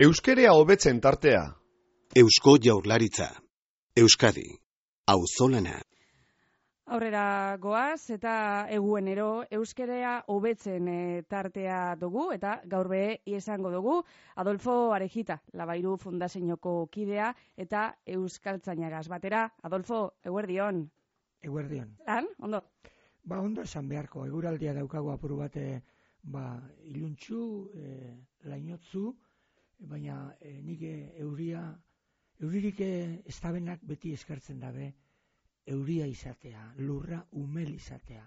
Euskerea hobetzen tartea. Eusko Jaurlaritza. Euskadi. Auzolana. Aurrera goaz eta eguenero euskerea hobetzen tartea dugu eta gaur be izango dugu Adolfo Arejita, Labairu Fundazioko kidea eta euskaltzainagaz batera. Adolfo, eguerdion. Eguerdion. Lan, ondo? Ondo esan beharko, eguraldia daukagu apuru bat iluntzu, lainotzu, baina nik euririk estabenak beti eskartzen dabe, euria izatea, lurra umel izatea.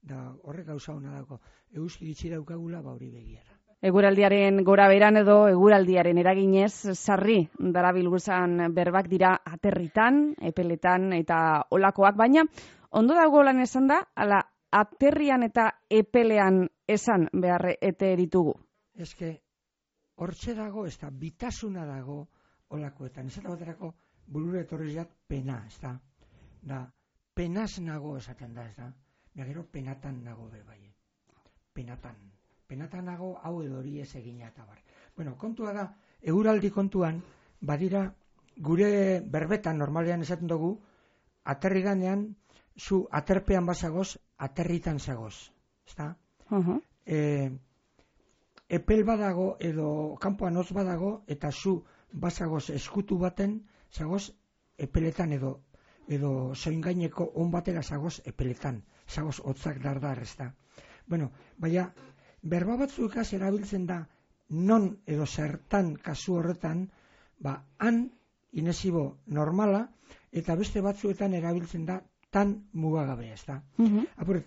Da horrek gauza hona dago, euski gitxi daukagula hori begiara. Eguraldiaren gora beran edo eguraldiaren eraginez sarri darabilguzan berbak dira aterritan, epeletan eta olakoak, baina ondo dago lan esan da, ala aterrian eta epelean esan behar ete ditugu. Eske, hortxe dago, ez da, bitasuna dago olakoetan. Ez da baterako burure etorriak pena, ez da. Da, penaz nago esaten da, ez da. Gero penatan nago be bai. Penatan nago hau edo hori ez egina eta bar. Bueno, kontua da, eguraldi kontuan, badira, gure berbetan normalean esaten dugu, aterri ganean, zu aterpean bazagoz, aterritan zagoz. Ezta? Epel badago edo kanpoan hoz badago, eta zu bazagoz eskutu baten, zagoz epeletan edo soingaineko on batera zagoz epeletan. Zagoz hotzak dardar, ezta? Bueno, baina, berba batzukaz erabiltzen da, non edo zertan kasu horretan, han inesibo normala, eta beste batzuetan erabiltzen da tan mugagabe, ez da. Apuret,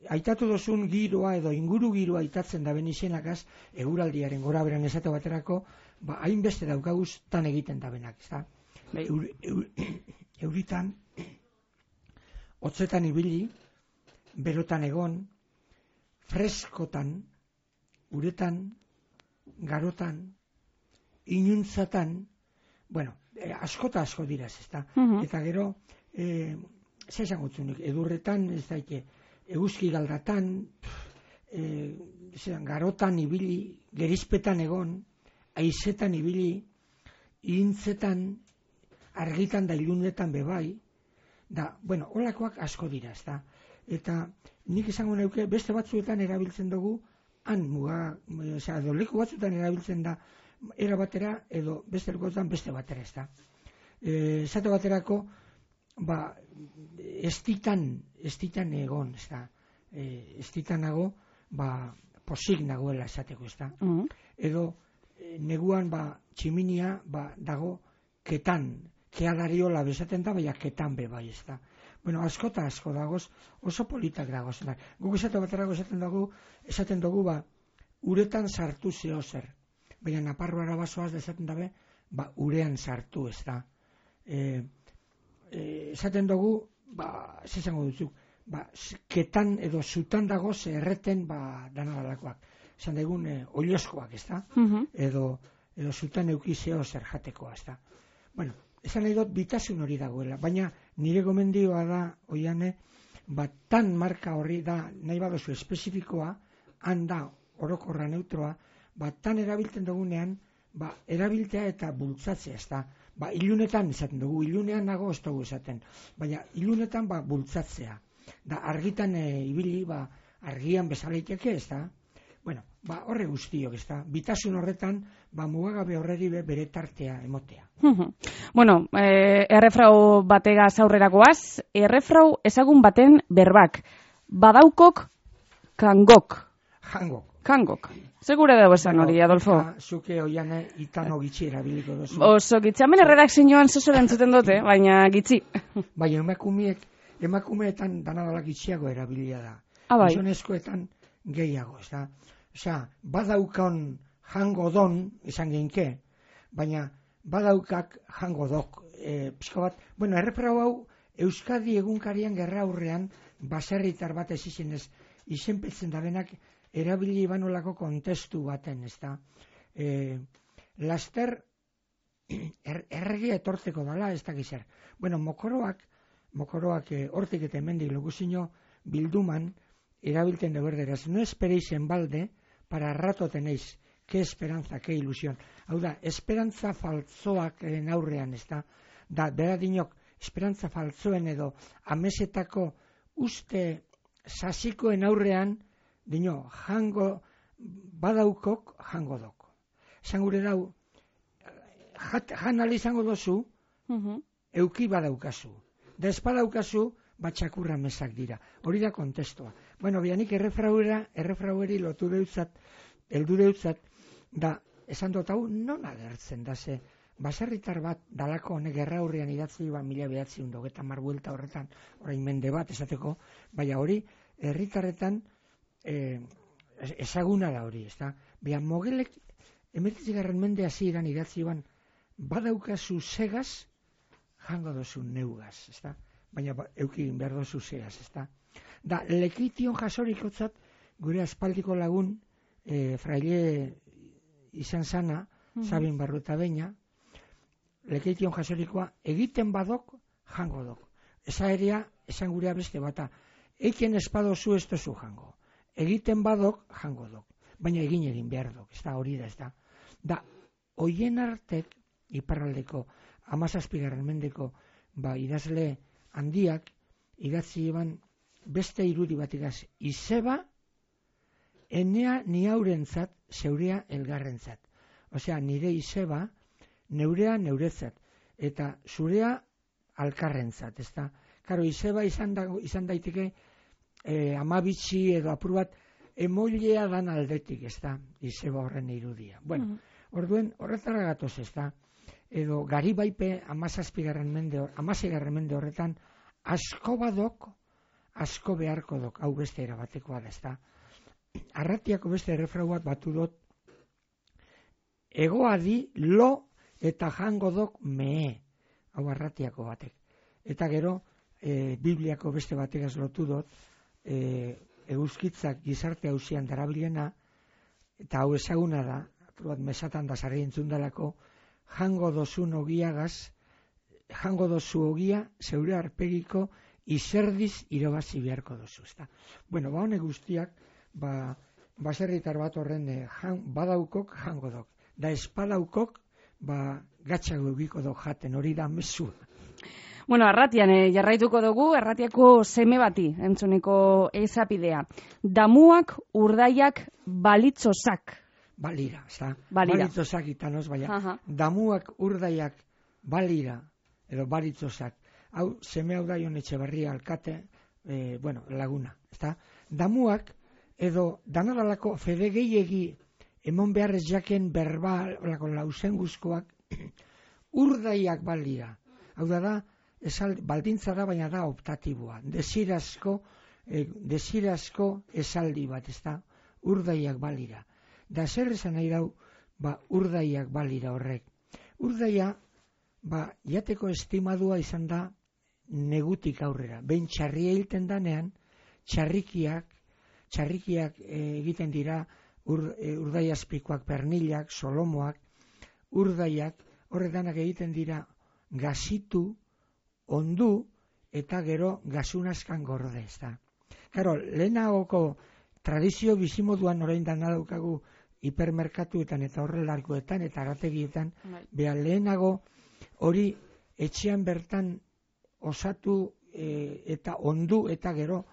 aitatu dozun giroa edo inguru giroa aitatzen da benizenakaz, eguraldiaren gora beran esate baterako, hainbeste daukaguz tan egiten da benak, ez da. Euritan, hotzetan ibili, berotan egon, freskotan, uretan, garotan, inuntzatan, bueno, asko dira, ez da. Eta gero, zer esango zunik, edurretan, ez daike, eguzki galdatan, garotan ibili, gerizpetan egon, haizetan ibili, ihintzetan, argitan da ilunetan bebai, da, bueno, holakoak asko dira, ez da. Eta nik esango neuke, beste batzuetan erabiltzen dugu, edo leku batzuetan erabiltzen da, era batera, edo beste lekuetan beste batera, ez da. Esate baterako, estitan egon, ez da. Estitan nago, posik nagoela esateko, ez da. Edo, neguan, tximinia, dago, ketan, keadariola bezaten da, baina ketan be bai, ez da. Bueno, asko dagoz, oso politak dagoz. Guk esate baterako esaten dugu, uretan sartu zeo zer. Baina Naparroara basoaz esaten dabe, urean sartu, ez da. Esaten dugu, zesango dutzuk, ketan edo zutan dagoz erreten dana dalakoak. Esan dugun, oioskoak, ez da. Edo zutan eukizeo zer jatekoa, ez da. Bueno, esan nahi dut bitasun hori dagoela, baina nire gomendioa da, oiane, tan marka horri da, nahi badozu espezifikoa, handa orokorra neutroa, tan erabiltzen dugunean, erabiltea eta bultzatzea, ez da. Ilunetan esaten dugu, ilunean nago ez dugu esaten, baina ilunetan bultzatzea. Da, argitan ibili, argian bezaleiteke, ez da. Bueno, horre guztiok, ez da. Bitasun horretan, mugagabe horreri bere tartea emotea. Bueno, errefrau bategaz aurrerakoaz, errefrau ezagun baten berbak. Badaukok, kangok. Kangok. Segure dago esan hori, Adolfo? Zuke oiane itano gitxi erabiliko dozu. Oso gitxi, hemen erredakzioan zozoren zuten dute, baina gitxi. Baina emakumeetan danadala gitxiago erabilia da. Gizonezkoetan gehiago, ez da. Osea, badaukon jango don, esan geinke, baina badaukak jango dok. Pizko bat, bueno, errefrau hau, Euskadi egunkarian gerra aurrean, baserritar bat ez izenez, izenpetzen da benak, erabili banolako kontestu baten, ez da. Laster, erregia etortzeko dala, ez da gizar. Bueno, mokoroak hortik eta hemendik loguzino bilduman, erabilten de berderaz. No esperéis en balde para rato tenéis ke esperantza, ke ilusion. Hau da, esperantza faltzoak aurrean, ez da? Da, bera dinok, esperantza faltzoen edo amesetako uste sasikoen aurrean, dino, jango badaukok, jango dok. Esan gure dau, jan izango dozu, euki badaukazu. Da ez badaukazu, batxakurra mesak dira. Hori da kontestua. Bueno, bianik errefraueri lotu deutzat, heldu deutzat, da, esan dut hau, non agertzen da ze, baserritar bat dalako honek gerra hurrian idatzi 1990 buelta horretan, orain mende bat esateko, baina hori, herritarretan ezaguna da hori, ezta? Bian Mogelek, 19. mende hasieran idatzi ban, badaukazu segaz, jango dozu neugaz, ezta? Baina euki behar dozu segaz, ezta? Da, lekition jasorikotzat, gure aspaldiko lagun, fraile izan sana, Sabin Barruta Beña, lekition jasorikoa, egiten badok, jango dok. Eza eria, esan gurea beste bata, eiken espadozu ez dozu jango. Egiten badok, jango dok. Baina egin behar dok, ez da hori da, ez da. Da, hoien artek, iparraldeko, 17. mendeko, idazle handiak, idatzi eban beste irudi bat igaz, izeba, enea ni haurentzat, zeurea elgarrentzat. Osea, nire izeba, neurea neuretzat, eta zurea alkarrentzat, ez da. Karo, izeba izan daiteke, amabitxi edo apur bat, emoilea dan aldetik, ez da, izeba horren irudia. Bueno, orduen, horretara gatoz, ez da, edo Garibaipe 17. mende horretan, asko badok, asko beharko dok, hau beste erabatekoa da, ez da. Arratiako beste errefrau bat batu dut, egoadi lo eta jango dok mee, hau Arratiako batek. Eta gero, Bibliako beste bategaz lotu dut, eguzkitzak gizarte hausian darabilena, eta hau ezaguna da, bat mesatan da zarri entzundalako, jango dozun ogiagaz, jango dozu ogia, zeure arpegiko, izerdiz irabazi beharko dozu. Bueno, honek guztiak, baserritar bat horren badaukok jango dok. Da espadaukok, gatxago egiko dok jaten, hori da mezua. Bueno, Arratian jarraituko dugu, Arratiako seme bati, entzuneko ezapidea. Damuak urdaiak balitzozak. Balira, balitzozak itanoz, baina damuak urdaiak balira, edo balitzozak. Hau, seme hau da Jon Etxebarria alkate, laguna, ezta? Damuak, edo danadalako fede gehiegi emon beharrez jaken berbal, olako lausen guzkoak, urdaiak balira. Hau da, baldintza da, baina da optatiboa. Desirazko esaldi bat, ezta? Urdaiak balira. Da zer esan nahi dau, urdaiak balira horrek. Urdaia, jateko estimadua izan da negutik aurrera. Behin txarria hilten danean, txarrikiak egiten dira urdaiazpikoak, pernilak, solomoak, urdaiak, horretanak egiten dira gazitu, ondu, eta gero gasunazkan gorde, ez da. Karo, lehenagoko tradizio bizimoduan orain dana daukagu hipermerkatuetan eta horrelarkoetan eta arategietan, beha lehenago hori etxean bertan osatu eta ondu eta gero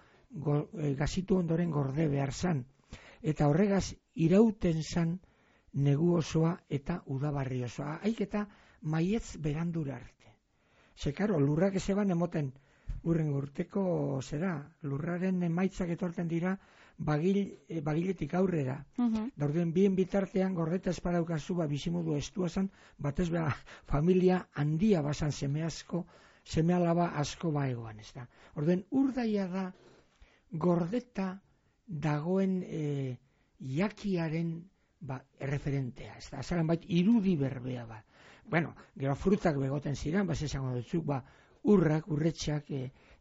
gazitu ondoren gorde behar zan. Eta horregaz irauten zan negu osoa eta udabarri osoa. Haik eta maietz berandura arte. Karo, lurrak ezeban emoten urren urteko lurraren emaitzak etorten dira bagiletik aurrera. Dauden bien bitartean gordeta espadaukazu bizimodu estua zan, batez beha familia handia basan seme alaba asko baegoan, ez da. Orduen urdaia da gordeta dagoen jakiaren erreferentea, ez da. Azaran bait irudi berbea ba. Bueno, gero frutak begoten ziren, esango dutzuk, urrak, urretxak,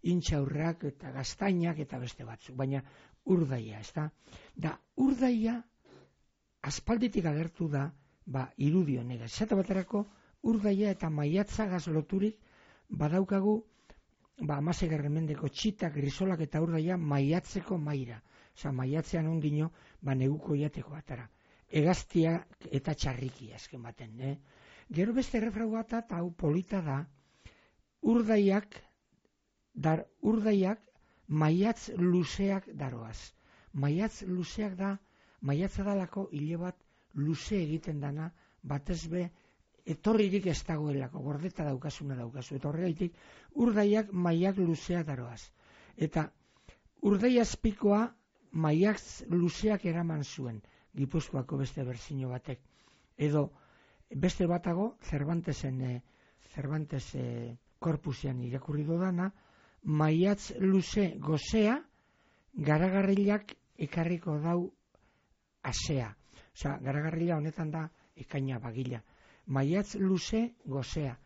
intxaurrak eta gaztainak eta beste batzuk, baina urdaia, ez da. Da, urdaia aspalditik agertu da, irudi honega. Zata baterako, urdaia eta maiatzagaz loturik badaukagu, 16. mendeko txitak, grisolak eta urdaia maiatzeko maira. Osa, maiatzean ondino, neguko jateko atara. hegaztiak eta txarriki azken baten. Gero beste errefrau bat, eta hau polita da, urdaiak maiatz luzeak daroaz. Maiatz luzeak da, maiatza dalako hile bat luze egiten dana, batez be, etorririk ez dagoelako, gordeta daukasuna daukazu. Eta horregaitik, urdaiak maiak luzeak daroaz. Eta urdai azpikoa maiatz luzeak eraman zuen, Gipuzkoako beste berzino batek. Edo, beste batago, Cervantes korpusean irakurri dodana, maiatz luze gozea, garagarrilak ekarriko dau asea. Osa, garagarrila honetan da ekaina bagila. Maiatz luze gozea,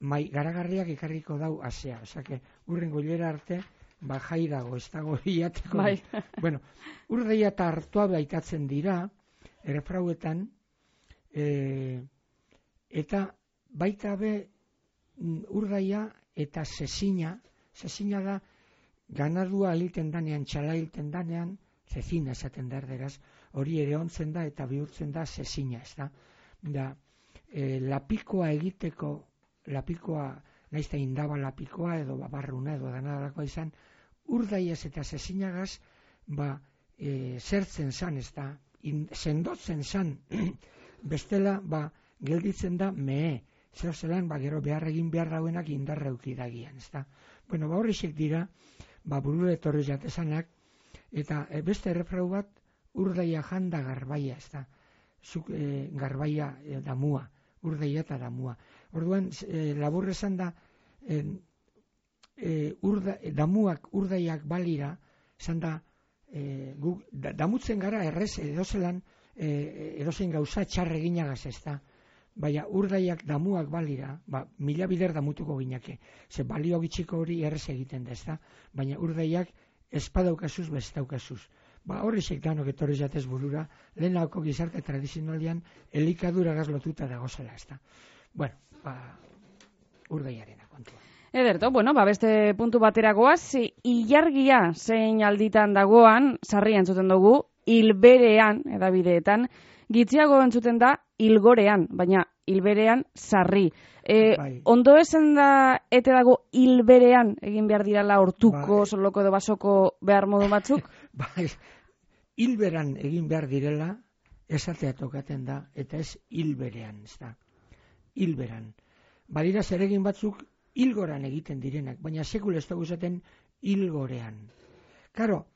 garagarriak ekarriko dau asea. Osa, urren goilera arte, jai dago, ez dago hiateko. Bai. Bueno, urdaia eta hartua baitatzen dira, errefrauetan, eta baita be urdaia eta zezina da, ganadua hilten danean, txala hilten danean, zezina esaten da erderaz, hori ere ontzen da eta bihurtzen da zezina, ez da. Lapikoa egiteko, naizta indaba lapikoa edo barruna edo danadalakoa izan, urdaiaz eta zezinagaz, zertzen zan, ez da, sendotzen zan, bestela, gelditzen da mehe, zer zelan, gero behar egin behar dauenak indarra eukidagian, ez da. Bueno, horrexek dira, buru etorri jatezanak, eta beste errefrau bat, urdaia janda garbaia, ez da. Garbaia damua, urdaia eta damua. Orduan, labur esan da, damuak urdaiak balira, esan da, damutzen gara errez edozein gauza txarre ginagaz, ez da. Baina urdaiak damuak balira, mila bider damutuko ginake. Ze balio gitxiko hori errez egiten da, ez da. Baina urdaiak espadaukazuz, bestaukazuz. Horrexek danok etorri jatez burura, lehenako gizarte tradizionalian elikadura gazlotuta dagozela, ez da. Bueno, urdaiarena kontua. Ederto, beste puntu batera goaz, ilargia zein alditan dagoan, sarria entzuten dugu, hilberean, edabideetan, gitziago entzuten da hilgorean, baina hilberean sarri. Ondo esan da, ete dago hilberean egin behar dirala hortuko, soloko edo basoko behar modu batzuk? Hilberan egin behar direla, esatea tokaten da, eta ez hilberean, ez da. Hilberan. Badira zeregin batzuk hilgoran egiten direnak, baina sekul ez dugu esaten hilgorean. Karo,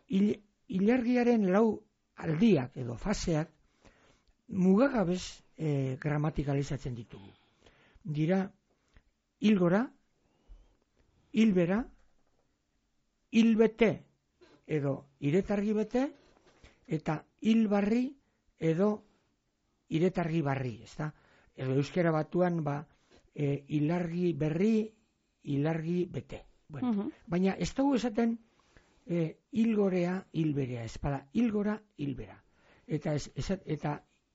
ilargiaren lau aldiak edo faseak mugagabez gramatikalizatzen ditugu. Dira hilgora, hilbera, hilbete edo iretargi bete eta hilbarri edo iretargi barri, ezta? Edo euskera batuan hilargi berri, hilargi bete. Bueno, baina ez dugu esaten hilgorea, hilberea, espada, hilgora, hilbera. Eta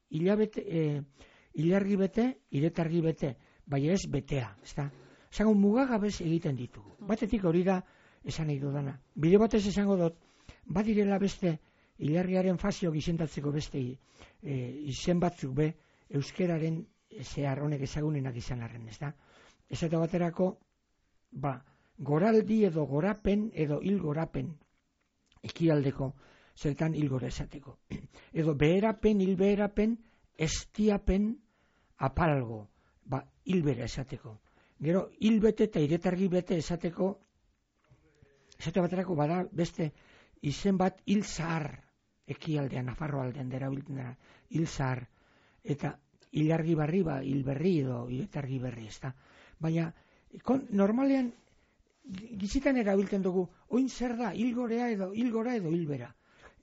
hilargi bete, iretargi bete, baina ez betea, ezta? Esango mugagabez egiten ditugu. Batetik hori da esan nahi dudana. Bide batez esango dut, badirela beste hilargiaren fazio gizentatzeko beste izen batzuk be, euskeraren zehar honek ezagunenak izan arren, ezta? Esate baterako, goraldi edo gorapen edo hilgorapen ekialdeko zertan hilgora esateko. Edo beherapen, hilbeherapen, estiapen apalgo, hilbera esateko. Gero, hilbete eta iretargi bete esateko, esate baterako bada beste izen bat hilzahar ekialdean, Nafarro aldean dera biltzen dara, hilzahar, eta hilargi barri, hilberri edo iretargi berri, ezta. Baina, normalean, gizitan erabiltzen dugu, oin zer da, hilgora edo hilbera.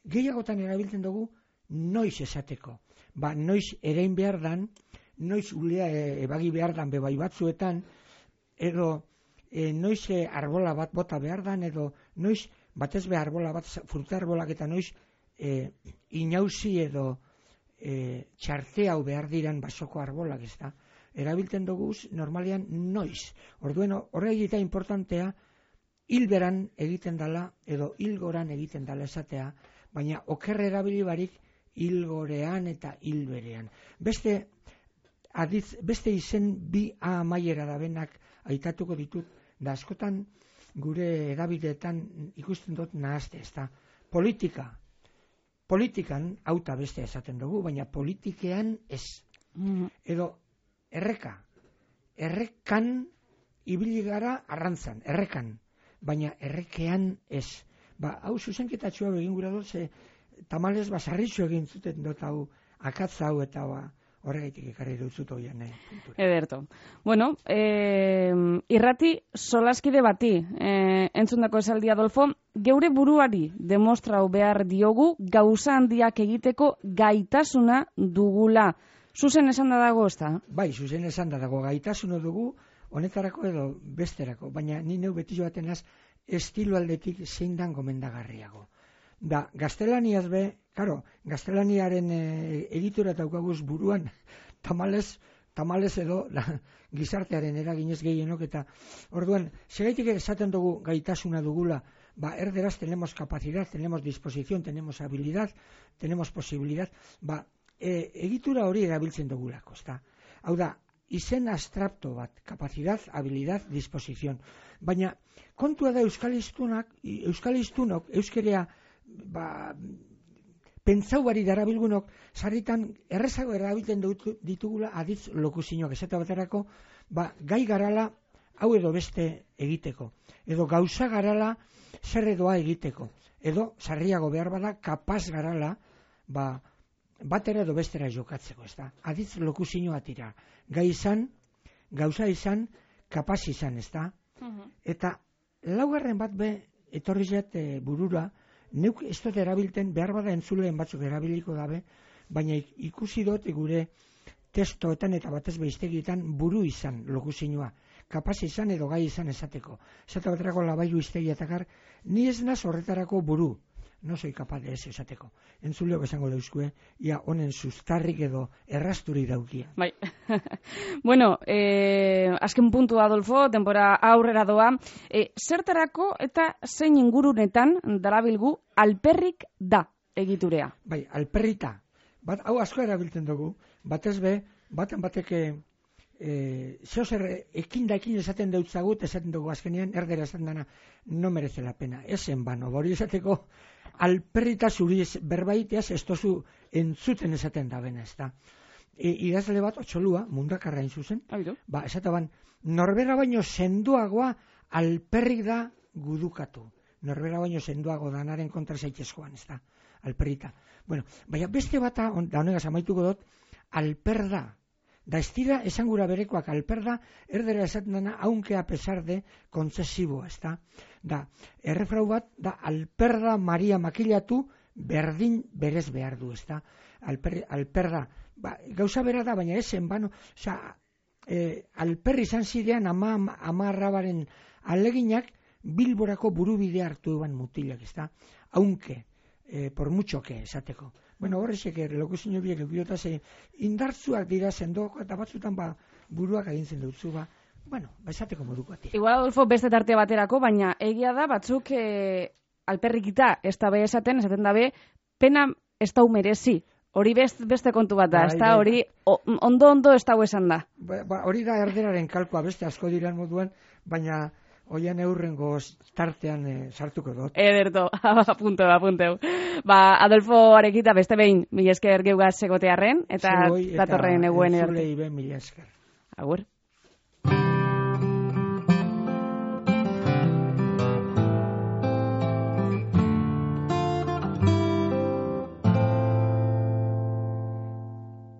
Gehiagotan erabiltzen dugu, noiz esateko. Noiz erein behar dan, noiz ulea ebagi behar dan bebai batzuetan, edo noiz arbola bat bota behar dan, edo noiz batez be arbola bat, fruta arbolak eta noiz inauzi edo txarte hau behar diran basoko arbolak, ez da. Erabiltzen dugu normalean noiz. Orduen horregi eta importantea hilberan egiten dala edo hilgoran egiten dala esatea, baina okerre erabili barik hilgorean eta hilberean. Beste izen bi amaiera da benak aitatuko ditut, da askotan gure edabideetan ikusten dut nahazte, ezta. Politikan, hauta beste esaten dugu, baina politikean ez. Edo errekan ibili gara arrantzan, errekan, baina errekean ez. Hau zuzenketatxua egin gura dut, tamalez basarritxu egin zuten dut hau, akatza hau eta horregaitik ekarri dutzut hoian. Ederto. Bueno, irrati solaskide bati, entzundako esaldi Adolfo, geure buruari demostrau behar diogu gauza handiak egiteko gaitasuna dugula. Zuzen esan da dago, ez da? Bai, zuzen esan da dago, gaitasuna dugu, honetarako edo besterako, baina ni neu beti joaten az, estilo aldetik zein dan gomendagarriago. Da, gaztelaniaz gaztelaniaren egitura daukaguz buruan, tamalez edo gizartearen eraginez gehienok, eta orduan, segaitik esaten dugu gaitasuna dugula, erderaz tenemos capacidad, tenemos disposición, tenemos habilidad, tenemos posibilidad, egitura hori erabiltzen dugulako, ezta? Hau da, izen abstrakto bat, capacidad, habilidad, disposición. Baina, kontua da euskaliztunok, euskerea, pentsau bari darabilgunok, sarritan errezago erabiltzen ditugula aditz lokuzinok, esate baterako, gai garala, hau edo beste egiteko, edo gauza garala, zer edoa egiteko, edo, sarriago behar bada, kapaz garala, batera edo bestera jokatzeko, ez da? Aditz lokuzinoa tira. Gai izan, gauza izan, kapaz izan, ez da? Eta laugarren bat etorri zait burura, neuk ez dut erabilten, behar bada entzuleen batzuk erabiliko dabe, baina ikusi dut gure testoetan eta batez behiztegietan buru izan lokuzinoa. Kapaz izan edo gai izan esateko. Esate baterako labailu iztegiatakar, ni ez naz horretarako buru. No soy capaz de ez esateko. Entzuleok esango dauzkue, ia honen sustarrik edo errasturi daukia. Bai. Bueno, azken puntu Adolfo, denbora aurrera doa. Zertarako eta zein ingurunetan darabilgu alperrik da egiturea? Bai, alperrita. Hau asko erabiltzen dugu, batez baten bateke zeozer ekin esaten deutzagut, esaten dugu azkenean, erdera esaten dana, no merece la pena. Esen bano, hori esateko, alperrita zuri berbaiteaz ez tozu entzuten esaten da bena, ez da. Idazle bat, otxolua, mundakarra zuzen, esaten norbera baino senduagoa alperrik da gudukatu. Norbera baino senduago danaren kontra zaitezkoan, ez da, alperrita. Bueno, baina beste bata, da honegaz amaituko dut, alper da. Da ez dira esangura berekoak alperda, erdera esaten dena, aunque a pesar de kontzesibo, ez da. Da, errefrau bat, da alperda Maria makilatu berdin berez behar du, ez da. Alperda, gauza bera da, baina esen, alperri izan zidean ama arrabaren aleginak Bilborako burubidea hartu eban mutilak, ez da. Aunque, por mucho que, esateko. Bueno, horrezek lokuzino biek eukidotaz indartzuak dira sendoko eta batzutan buruak agintzen dutzu esateko moduko ati. Igual Adolfo beste tarte baterako, baina egia da batzuk alperrikita ez da be esaten dabe pena ez da merezi. Hori beste kontu bat da, ez da hori ondo ez da esan da. Hori da erderaren kalkoa beste asko diran moduan, baina oian eurrengo tartean sartuko dut. Ederto, apunteu. Adolfo Arekita beste behin, mila esker geugaz segotearren, eta datorren eguen zulei ben mila esker. Agur.